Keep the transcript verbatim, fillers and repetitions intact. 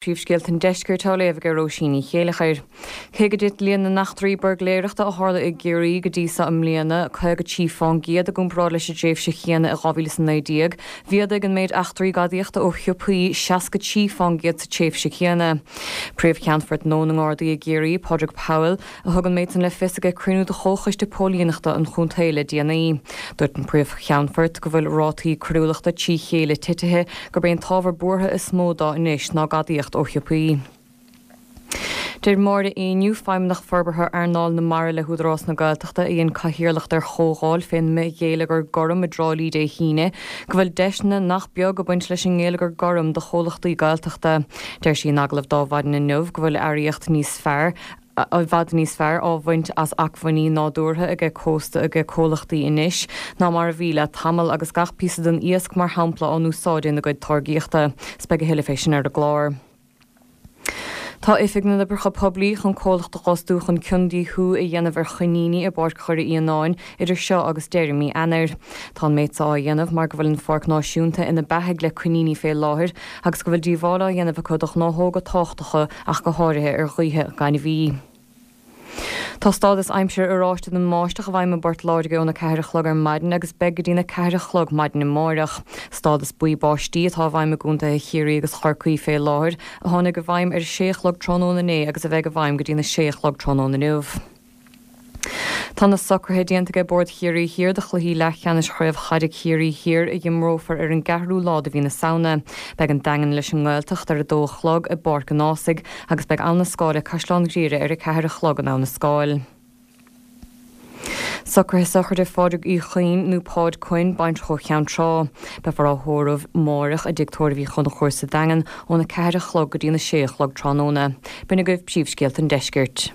Príomhscéalta an Deiscirt á léamh ag Róisín Ní Chéilleachair. Cé gur thit líon na n-eachtraí buirgléireachta a tharla i gCiarraí go dtí seo i mbliana, caoga trí fán gcéad i gcomparáid leis an tréimhse chéanna i dhá mhíle is a naoi déag, mhéadaigh an méid eachtraí gadaíochta ó shiopaí seasca trí fán gcéad sa tréimhse chéanna. Príomh-Cheannfort nua na nGardaí i gCiarraí, Pádraig Powell, a thug an méid san le fios ag cruinniú de Chomhchoiste Póilíneachta an chontae le déanaí. Dúirt an Príomh-Cheannfort go bhfuil rátaí coiriúlachta trí chéile titithe, gurb é an t-ábhar buartha is mó dó anois ná gadaíocht ó shiopaí. Deir Máire Éinniú, Feidhmeannach Forbartha Earnáil na Mara le hÚdarás na Gaeltachta, a dhein cathaoirleacht ar chomhdháil fén mbithghéilleagar gorm i dTrá Lí Dé hAoine, go bhfuil deiseanna nach beag ag baint leis an ngeilleagar gorm do chomhlachtaí Gaeltachta. Deir sí in agallamh d'Adhmhaidin inniu go bhfuil earraíocht níos fearr, i bhfad níos fearr á bhaint as acmhainní nádúrtha aige cósta aige comhlachtaí anois ná mar a bhí le tamall agus gach píosa den iasc mar shampla á n-úsáid ina gcuid táirgíochta. 'S beidh a thuilleadh fé sin ar an gclár. Tá Oifig na nOibreacha Poiblí chun comhlacht a fhostú chun ciondíothú a dhéanamh ar choiníní i bPáirc Dhoire Fhíonáin idir seo agus deireadh mí Eanáir. Tá an méid seo á dhéanamh mar go bhfuil an pháirc náisiúnta ina beathaigh le coiníní fé láthair agus go bhfuil díobháil á dhéanamh acu do ghnáthóga tábhachtacha ach go háirithe ar ghaotha gainmhí. Tá stádas aimsire oráiste don mbáisteach i bhfeidhm i bPort Láirge óna ceathair a chlog ar maidin agus beidh go dtína ceathair a chlog maidin amáireach. Stádas buí báistí atá i bhfeidhm i gcontaetha Chiarraí agus Chorcaí fé láthair, a tháinig i bhfeidhm ar a sé a chlog tráthnóna inné agus a bheidh i bhfeidhm go dtína sé a chlog tráthnóna inniu. Tá na socruithe déanta ag Bord Chiarraí Thiar do chluichí leathcheannais Chraobh Chaide Chiarraí Thiar a imreofar ar an gceathrú lá de mhí na Samhna. Beidh an Daingean leis an nGaeltacht ar a dó a chlog i bPáirc an Ághasaigh agus beidh Abha na Scáil le Caisleán Ghriaire ar a ceathair a chlog in Abha na Scáil. Socruithe sochraide Phádraig Uí Chuinn nó Páid Quinn, baintreach ó Cheann Trá. Beifear á thórramh amáireach i dTigh Tórraimh Uí Chonchúir sa Daingean óna ceathair a chlog go dtína sé a chlog tráthnóna. B'in agaibh príomhscéalta an deiscirt.